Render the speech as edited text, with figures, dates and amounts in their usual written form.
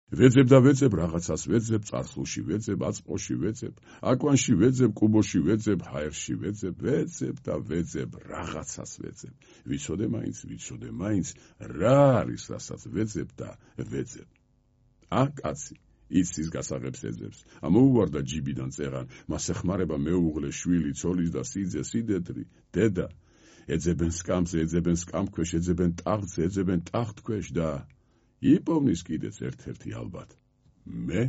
ვეძებ და ვეძებ რაღაცას ვეძებ, წარსულში ვეძებ, აწმყოში ვეძებ, აკვანში ვეძებ, კუბოში ვეძებ, ჰაერში ვეძებ, ვეძებ და ვეძებ, რაღაცას ვეძებ. ვიცოდე მაინც, რა არის, რასაც ვეძებ და ვეძებ. კაცი, იცის გასაღებს ეძებს, ამოუვარდა ჯიბიდან წერან, მას ეხმარება მეუღლე, შვილი, ცოლის და სიძე, სიდედრი, დედა. ეძებენ სკამზე, ეძებენ სკამქვეშ, ეძებენ ტახტზე, ეძებენ ტახტქვეშ და იპოვნის კიდეც ერთ-ერთი ალბათ. მე